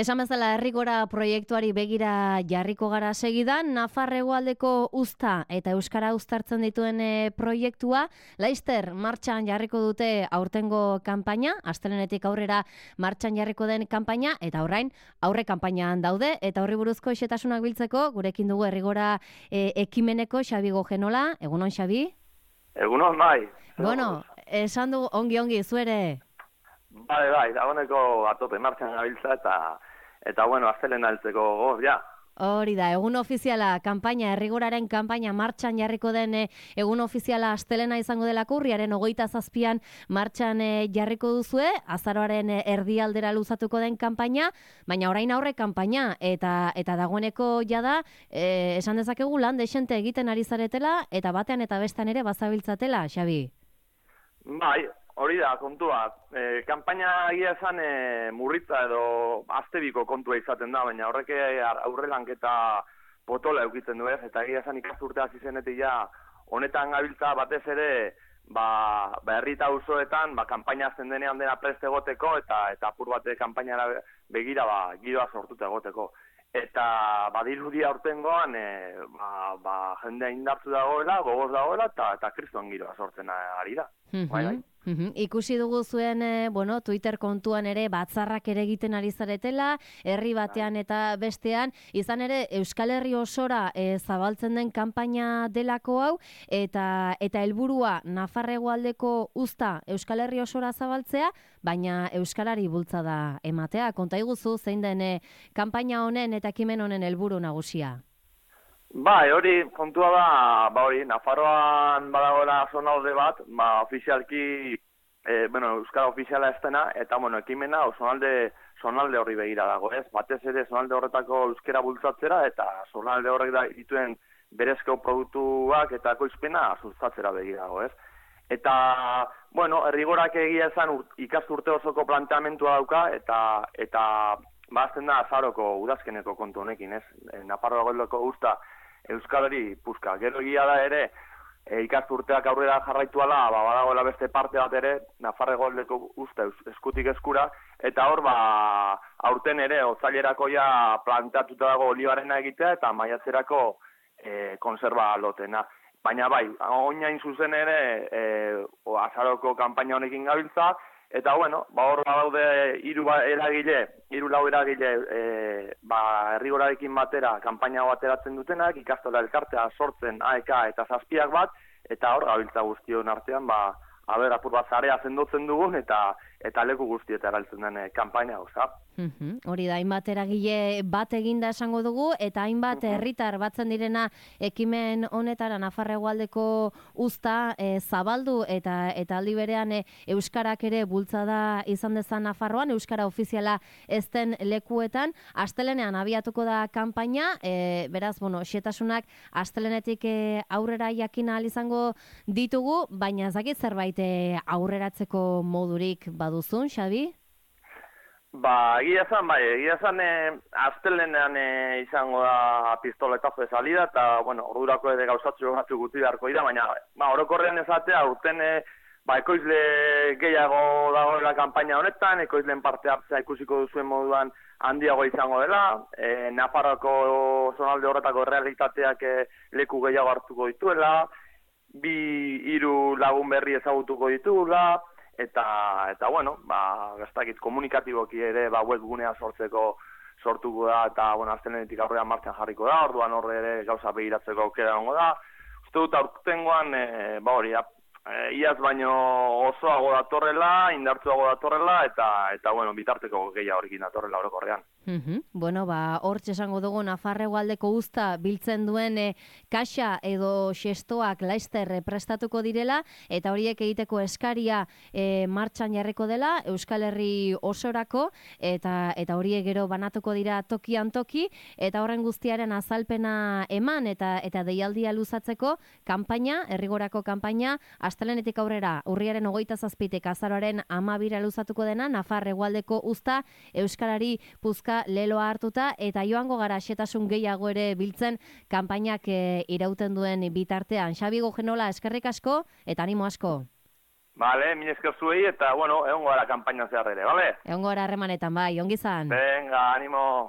Esan bezala Herrigora proiektuari begira jarriko gara segidan, Nafar hegoaldeko uzta eta euskara uztartzen dituen proiektua, laizter martxan jarriko dute aurtengo kanpaina, astelehenetik aurrera martxan jarriko den kanpaina, eta orain aurre kanpainan daude, eta horri buruzko xetasunak biltzeko, gurekin dugu Herrigora ekimeneko Xabi Gojenola. Egunon, Xabi? Egunon, bai. Bueno, esan du ongi, zuere? Bai, dagoeneko atope martxan gabiltza eta bueno, astelen altzeko goz, ja. Hori da, egun ofiziala kanpaina, Herrigoraren kanpaina martxan jarriko den egun ofiziala astelena izango delako, urriaren 27an martxan jarriko duzue, azaroaren erdialdera luzatuko den kanpaina, baina orain aurre kanpaina, eta dagoeneko jada, esan dezakegu lan dexente egiten ari zaretela, eta batean eta bestean ere bazabiltzatela, Xabi? Bai, hori da, kontua. Kanpaina egia esan murritza edo aztebiko kontua izaten da, baina horrek aurrelanketa potola eukitzen du ez, eta egia esan ikasturte hasi zenetik ja honetan gabiltza batez ere herri eta auzoetan kanpaina azten denean dena prest egoteko eta apur bate kanpainara begira giroa sortuta egoteko. Eta badirudi aurtengoan jendea indartzu dagoela, gogoz dagoela eta kriston giroa sortzen ari da. Bai. Ikusi dugu zuen Twitter kontuan ere batzarrak ere egiten ari zaretela, herri batean eta bestean, izan ere Euskal Herri osora zabaltzen den kanpaina delako hau, eta helburua Nafar hegoaldeko uzta Euskal Herri osora zabaltzea, baina euskarari bultzada ematea. Konta iguzu zein den kanpaina honen eta ekimen honen helburu nagusia? Bai, hori kontua da, Nafarroan badagoela zonalde bat, ofizialki, euskara ofiziala ez dena, eta, ekimena zonalde horri begira dago, ez? Batez ere zonalde horretako euskara bultzatzera, eta zonalde horrek dituen berezko produktuak eta ekoizpena sustatzera begira dago, ez? Eta, Herrigorak egia esan ikasturte osoko planteamentua dauka, eta bazten da azaroko udazkeneko kontu honekin, ez? Nafarroa goldoko uzta euskalari puska. Gero egia da ere, ikasturteak aurrera jarraituala, badagoela beste parte bat ere, Nafar hegoaldeko uzta eskutik eskura, eta hor, aurten ere, otzailerako ja planteatuta dago olibarena egitea, eta maiatzerako konserba lotena. Baina bai, oinain zuzen ere, azaroko kanpaina honekin gabiltza, eta hor daude hiru lau eragile Herrigorarekin batera kanpaina bateratzen dutenak, ikastola elkartea sortzen AEK eta zazpiak bat, eta hor gabiltza guztion artean, apur bat zarea zendotzen dugun, eta leku guztietara heltzen den kanpaina, oza. Hori da, hainbat eragile bat eginda esango dugu, eta hainbat herritar batzen direna ekimen honetara Nafar hegoaldeko uzta zabaldu eta aldi berean euskarak ere bultzada izan dezan Nafarroan, euskara ofiziala ez den lekuetan. Astelenean abiatuko da kanpaina, beraz, xetasunak astelenetik aurrera jakin ahal izango ditugu, baina ez dakit zerbait aurreratzeko modurik baduzun, Xabi? Egia esan astelenean izango da pistoletazo de salida, eta, ordurako ere gauzatzu batzuk guti beharko dira, baina, orokorrean esatea, urten, ekoizle gehiago dagoela kanpaina honetan, ekoizleen parte hartzea ikusiko duzuen moduan handiago izango dela, Nafarroko zonalde horretako realitateak leku gehiago hartuko dituela, 2-3 lagun berri ezagutuko ditugula, eta gastakit komunikatiboki ere webgunea sortuko da, eta astelehenetik aurrean martxan jarriko da, orduan horre ere gauza begiratzeko aukera egongo da. Uste dut aurtengoan, iaz baino osoago datorrela, indartsuago datorrela, eta bitarteko gehiago horrekin datorrela orokorrean. Hortxe esango dugu Nafar hegoaldeko uzta biltzen duen kaxa edo xestoak laizter prestatuko direla, eta horiek egiteko eskaria martxan jarriko dela Euskal Herri osorako, eta horiek gero banatuko dira tokian toki, eta horren guztiaren azalpena eman eta deialdia luzatzeko kanpaina, Herrigorako kanpaina, astelehenetik aurrera urriaren 27tik azaroaren 12ra luzatuko dena, Nafar hegoaldeko uzta euskarari puzka leloa hartuta, eta joango gara xetasun gehiago ere biltzen kanpainak irauten duen bitartean. Xabi Gojenola, eskerrik asko eta animo asko. Vale, mila esker zuei, eta, bueno, egon gara kanpainan zehar ere, vale? Egon gora harremanetan, bai, ongi zan. Venga, animo.